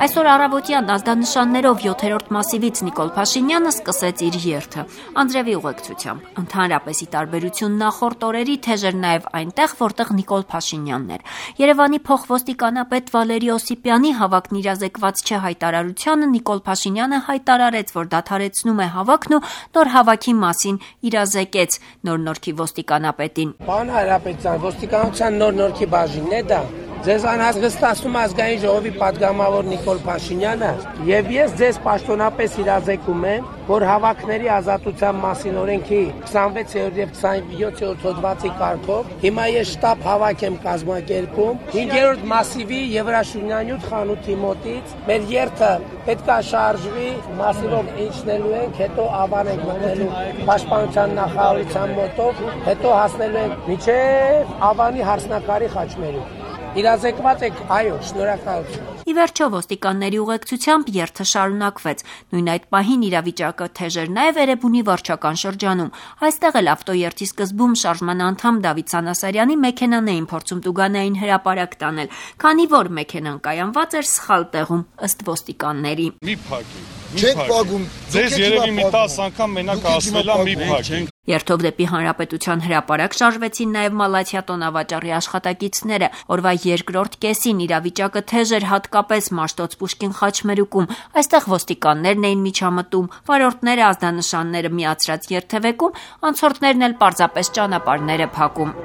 Այսօր առավոտյան ազդանշաններով 7-րդ մասիվից Նիկոլ Փաշինյանը սկսեց իր երթը Անդրեևի ուղեկցությամբ։ Ընդհանրապես ի տարբերություն նախորդ օրերի թեժ էր նաև այնտեղ, որտեղ Նիկոլ Փաշինյանն էր։ Երևանի փոխոստիկանապետ Վալերի Օսիպյանի հավաքն իրազեկված չէ հայտարարությանը Նիկոլ Փաշինյանը հայտարարեց, որ դադարեցնում է հավաքն ու նոր հավաքի մասին իրազեկեց Նոր Նորքի ոստիկանապետին։ Պարոն Հայրապետյան, ոստիկանության Նոր Նորքի բաժինն է դա։ Ձեզ անհանգստացնում ազգային ժողովի պատգամավոր Նիկոլ Փաշինյանը եւ ես ձեզ պաշտոնապես իրազեկում եմ, որ հավաքների ազատության մասին օրենքի 26-րդ եւ 27-րդ հոդվածի կարգով հիմա ես շտաբ հավաք եմ կազմակերպում 5-րդ մասիվի Եվրաշունյանյութ խանութի մոտից մեր երթը պետքա շարժվի մասիվով իջնելու ենք, հետո ավան ենք մտնելու պաշտպանության նախարարության մոտով, հետո հասնելու ենք մինչեւ ավանի հարսնակարի խաչմերուկ։ Իրազեկված եք, այո, շնորհակալություն։ Ի վերջո ոստիկանների ուղեկցությամբ երթը շարունակվեց։ Նույն այդ պահին իրավիճակը թեժ էր նաև Էրեբունի վարչական շրջանում։ Այստեղ էլ ավտոերթի սկզբում շարժման անդամ Դավիթ Սանասարյանի մեքենան էին փորձում տուգանային հրապարակ տանել, քանի որ մեքենան կայանված էր սխալ տեղում, ըստ ոստիկանների։ Մի փակի։ Չեք փակում։ Ձեզ երևի մի 10 անգամ մենակ ասվել է մի փակի։ Երթով դեպի Հանրապետության հրապարակ շարժվեցին նաև Մալաթիա տոնավաճառի աշխատակիցները։ Օրվա երկրորդ կեսին իրավիճակը թեժ էր հատկապես Մաշտոց Պուշկին խաչմերուկում։ Այստեղ ոստիկաններն էին միջամտում, վարորդները ազդանշանները միացրած երթևեկում, անցորդներն էլ պարզապես ճանապարհները փակում։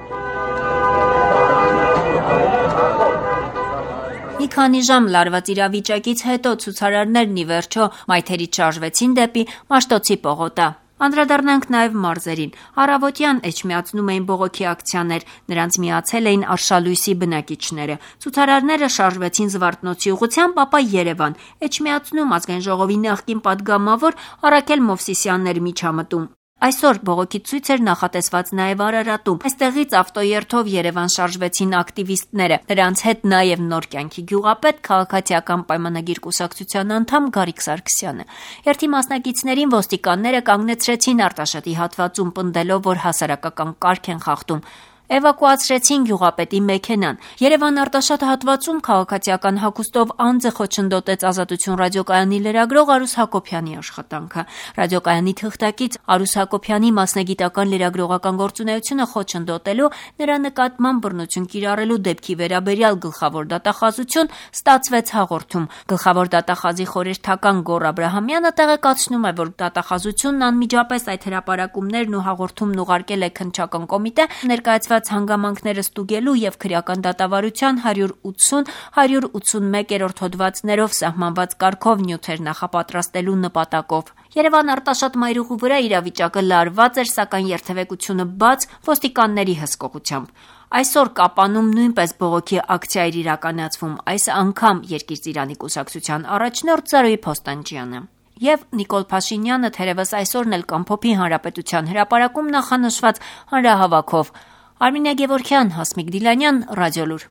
Մի քանի ժամ լարված իրավիճակից հետո ցուցարարներն ի վերջո մայթերից շարժվեցին դեպի Մաշտոցի պողոտա։ Անդրադառնանք նաև մարզերին։ Առավոտյան էջմիածնում էին բողոքի ակցիաներ, նրանց միացել էին Արշալույսի բնակիչները։ Ցուցարարները շարժվեցին Զվարթնոցի ուղղությամբ, ապա Երևան։ Էջմիածնում ազգային ժողովի նախկին պատգամավոր Արաքել Մովսիսյանն էր միջամտում։ Այսօր բողոքի ցույց էր նախատեսված նաև Արարատում։ Այստեղից ավտոերթով Երևան շարժվեցին ակտիվիստները։ Նրանց հետ նաև Նոր կյանքի գյուղապետ, քաղաքացիական պայմանագիր կուսակցության անդամ Գարիկ Սարգսյանը։ Երթի մասնակիցներին ոստիկանները կանգնեցրեցին Արտաշատի հատվածում, պնդելով, որ հասարակական կարգ են խախտում։ Էվակուացրեցին գյուղապետի մեքենան։ Երևան-Արտաշատ հատվածում քաղաքացիական հագուստով անձը խոչընդոտեց Ազատություն ռադիոկայանի լրագրող Արուս Հակոբյանի աշխատանքը։ Ռադիոկայանի թղթակից Արուս Հակոբյանի մասնագիտական լրագրողական գործունեությունը խոչընդոտելու, նրա նկատմամբ բռնություն կիրառելու դեպքի վերաբերյալ գլխավոր դատախազություն ստացվեց հաղորդում։ Գլխավոր դատախազի խորհրդական Գոռ Աբրահամյանը տեղեկացնում է, որ դատախազությունն անմիջապես այդ հրապարակումներն ու հաղորդումն ուղարկել է քննչական կոմիտե, ներկայացված հանգամանքները ստուգելու եւ քրեական դատավարության 180-181-րդ հոդվածներով սահմանված կարգով նյութեր նախապատրաստելու նպատակով։ Երևան-Արտաշատ մայրուղու վրա իրավիճակը լարված էր, սակայն երթևեկությունը բաց ոստիկանների հսկողությամբ։ Այսօր Կապանում նույնպես բողոքի ակցիա էր իրականացվում, այս անգամ Երկիր Ծիրանի կուսակցության առաջնորդ Զարուհի Փոստանջյանը։ Եվ Նիկոլ Փաշինյանը թերևս այսօրն էլ կամփոփի Հանրապետության հրապարակում նախանշված հանրահավաքով։ Արմինե Գևորգյան, Հասմիկ Դիլանյան, Ռադիոլուր։